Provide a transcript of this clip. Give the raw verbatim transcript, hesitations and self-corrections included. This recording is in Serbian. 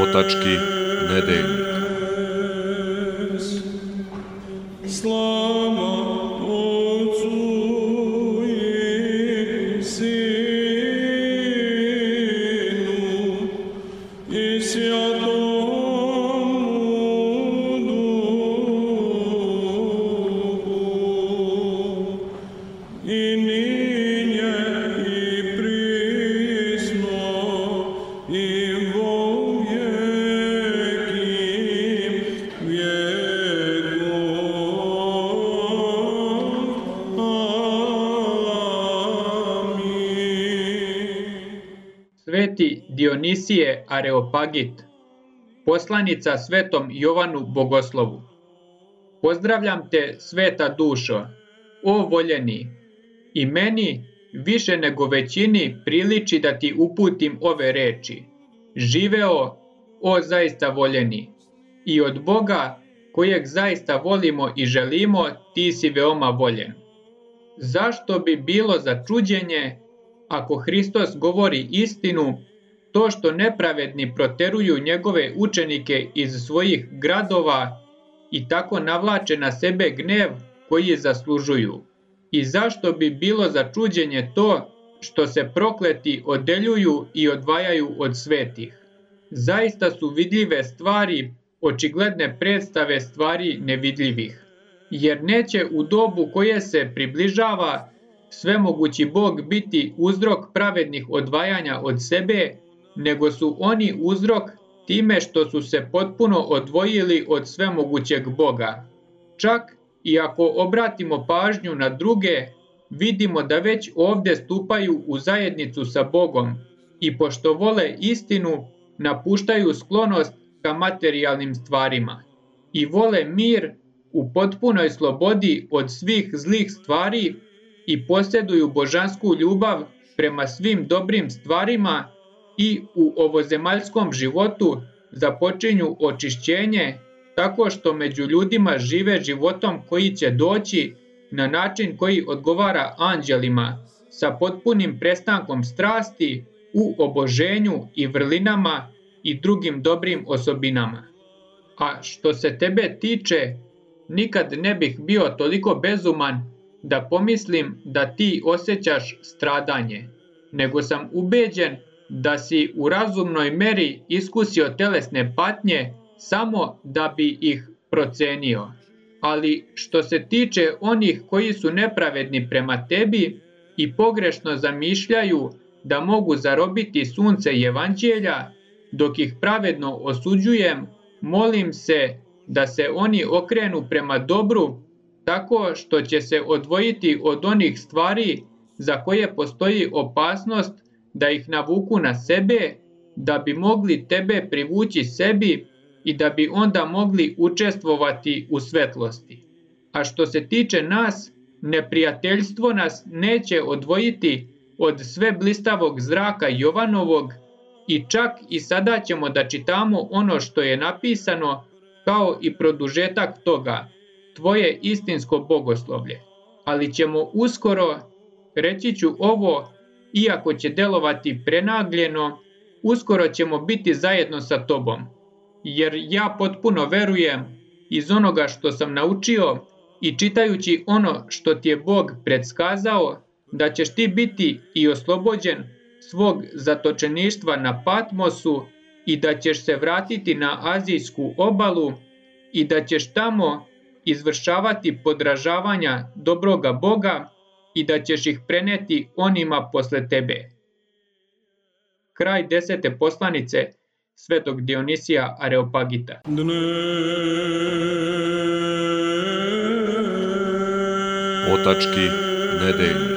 Otački nedeljnik. Slava Otcu i Sinu i Svjatomu Duhu, i ninje i prisno i vo vjeki vjekov. Amin. Sveti Dionisije Areopagit, poslanica svetom Jovanu Bogoslovu. Pozdravljam te, sveta dušo, o voljeni, i meni više nego većini priliči da ti uputim ove reči. Živeo, o zaista voljeni, i od Boga, kojeg zaista volimo i želimo, ti si veoma voljen. Zašto bi bilo za čuđenje, ako Hristos govori istinu, to što nepravedni proteruju njegove učenike iz svojih gradova i tako navlače na sebe gnev koji zaslužuju? I zašto bi bilo za čuđenje to što se prokleti odeljuju i odvajaju od svetih? Zaista su vidljive stvari očigledne predstave stvari nevidljivih. Jer neće u dobu koje se približava svemogući Bog biti uzrok pravednih odvajanja od sebe, nego su oni uzrok time što su se potpuno odvojili od svemogućeg Boga. Čak i ako obratimo pažnju na druge, vidimo da već ovdje stupaju u zajednicu sa Bogom i pošto vole istinu, napuštaju sklonost ka materijalnim stvarima i vole mir u potpunoj slobodi od svih zlih stvari i posjeduju božansku ljubav prema svim dobrim stvarima i u ovozemaljskom životu započinju očišćenje tako što među ljudima žive životom koji će doći na način koji odgovara anđelima, sa potpunim prestankom strasti u oboženju i vrlinama i drugim dobrim osobinama. A što se tebe tiče, nikad ne bih bio toliko bezuman da pomislim da ti osjećaš stradanje, nego sam ubeđen da si u razumnoj meri iskusio telesne patnje samo da bi ih procenio. Ali što se tiče onih koji su nepravedni prema tebi i pogrešno zamišljaju da mogu zarobiti sunce evanđelja, dok ih pravedno osuđujem, molim se da se oni okrenu prema dobru, tako što će se odvojiti od onih stvari za koje postoji opasnost da ih navuku na sebe, da bi mogli tebe privući sebi i da bi onda mogli učestvovati u svetlosti. A što se tiče nas, neprijateljstvo nas neće odvojiti od sve blistavog zraka Jovanovog i čak i sada ćemo da čitamo ono što je napisano kao i produžetak toga, tvoje istinsko bogoslovlje. Ali ćemo uskoro, reći ću ovo, iako će delovati prenagljeno, uskoro ćemo biti zajedno sa tobom. Jer ja potpuno verujem iz onoga što sam naučio i čitajući ono što ti je Bog predskazao, da ćeš ti biti i oslobođen svog zatočeništva na Patmosu i da ćeš se vratiti na azijsku obalu i da ćeš tamo izvršavati podražavanja dobroga Boga i da ćeš ih preneti onima posle tebe. Kraj desete poslanice svetog Dionisija Areopagita. Otački nedeljnik.